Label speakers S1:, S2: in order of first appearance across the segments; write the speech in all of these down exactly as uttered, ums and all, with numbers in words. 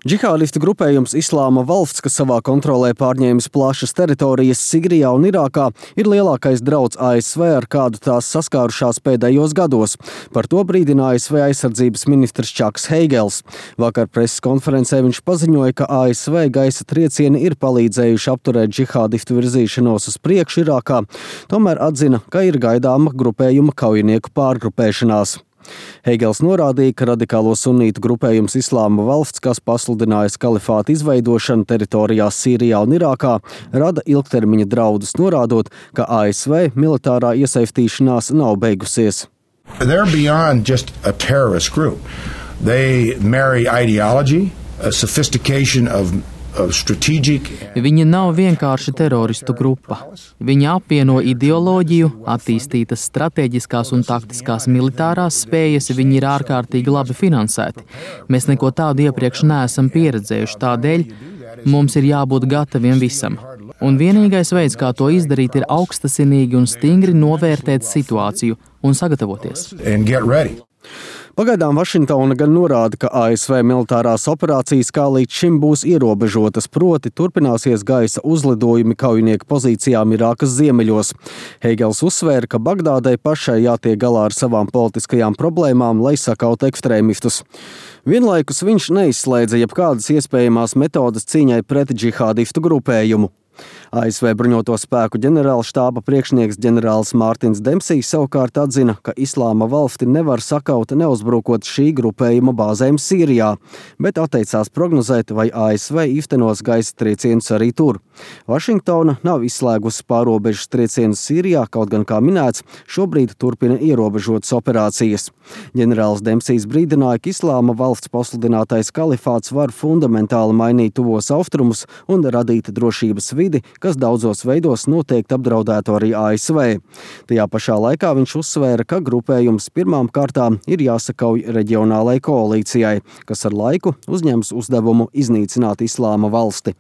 S1: Džihādistu grupējums Islāma valsts, kas savā kontrolē pārņēmis plašas teritorijas Sigrijā un Irākā, ir lielākais drauds A S V, ar kādu tās saskārušās pēdējos gados. Par to brīdina A S V aizsardzības ministrs Čaks Heigels. Vakar preses konferencē viņš paziņoja, ka A S V gaisa triecieni ir palīdzējuši apturēt džihādistu virzīšanos uz priekšu Irākā, tomēr atzina, ka ir gaidāma grupējuma kaujinieku pārgrupēšanās. Heigels norādīja, ka radikālo sunītu grupējums Islāma valsts, kas pasludinājis kalifāta izveidošanu teritorijās Sīrijā un Irākā, rada ilgtermiņa draudus, norādot, ka A S V militārā iesaistīšanās nav beigusies.
S2: They're beyond just a terrorist group. They marry ideology, a sophistication of
S3: Viņi nav vienkārši teroristu grupa. Viņi apvieno ideoloģiju, attīstītas strateģiskās un taktiskās militārās spējas, viņi ir ārkārtīgi labi finansēti. Mēs neko tādu iepriekš neesam pieredzējuši, tādēļ mums ir jābūt gataviem visam. Un vienīgais veids, kā to izdarīt, ir augstasinīgi un stingri novērtēt situāciju un sagatavoties.
S1: Pagaidām Vašingtona gan norāda, ka A S V militārās operācijas kā līdz šim būs ierobežotas, proti turpināsies gaisa uzlidojumi kaujinieku pozīcijām Irākas ziemeļos. Heigels uzsvēra, ka Bagdādai pašai jātiek galā ar savām politiskajām problēmām, lai sakautu ekstrēmistus. Vienlaikus viņš neizslēdza jebkādas iespējamās metodas cīņai pret džihādistu grupējumu. A S V bruņoto spēku ģenerālštāba priekšnieks ģenerālis Mārtins Dempsijs savukārt atzina, ka Islāma valsti nevar sakaut neuzbrukot šī grupējuma bāzēm Sīrijā, bet atteicās prognozēt, vai A S V īstenos gaisa triecienus arī tur. Vašingtona nav izslēgusi pārobežas triecienus Sīrijā, kaut gan, kā minēts, šobrīd turpina ierobežotas operācijas. Ģenerālis Dempsijs brīdināja, ka Islāma valsts pasludinātais kalifāts var fundamentāli mainīt tuvos austrumus un radīt drošības vidi, kas daudzos veidos noteikti apdraudētu arī A S V. Tajā pašā laikā viņš uzsvēra, ka grupējums pirmām kārtām ir jāsakauj reģionālai koalīcijai, kas ar laiku uzņems uzdevumu iznīcināt Islāma valsti.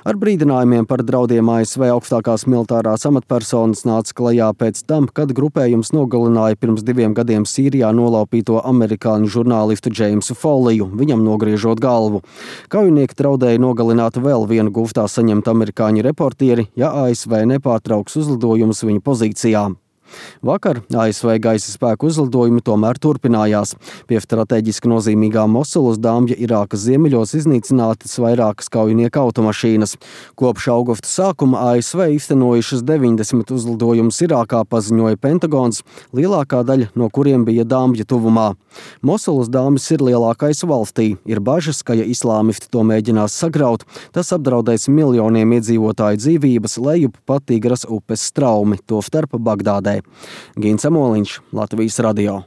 S1: Ar brīdinājumiem par draudiem A S V augstākās militārās amatpersonas nāca klajā pēc tam, kad grupējums nogalināja pirms diviem gadiem Sīrijā nolaupīto amerikāņu žurnālistu Džeimsu Foliju, viņam nogriežot galvu. Kaujinieki draudēja nogalināt vēl vienu guftā saņemt amerikāņu reportieri, ja A S V nepārtrauks uzlidojumus viņa pozīcijām. Vakar A S V gaisa spēku uzlidojumi tomēr turpinājās. Pie strateģiski nozīmīgā Mosulas Dāmja Irākas ziemeļos iznīcinātas vairākas kaujinieku automašīnas. Kopš augusta sākuma A S V īstenojušas deviņdesmit uzlidojumus Irākā, paziņoja Pentagons, lielākā daļa no kuriem bija Dāmja tuvumā. Mosulas Dāmjas ir lielākais valstī. Ir bažas, ka ja islāmisti to mēģinās sagraut, tas apdraudēs miljoniem iedzīvotāju dzīvības lejup pa Tigras upes straumi, tostarp Bagdādē. Gins Amoliņš, Latvijas radio.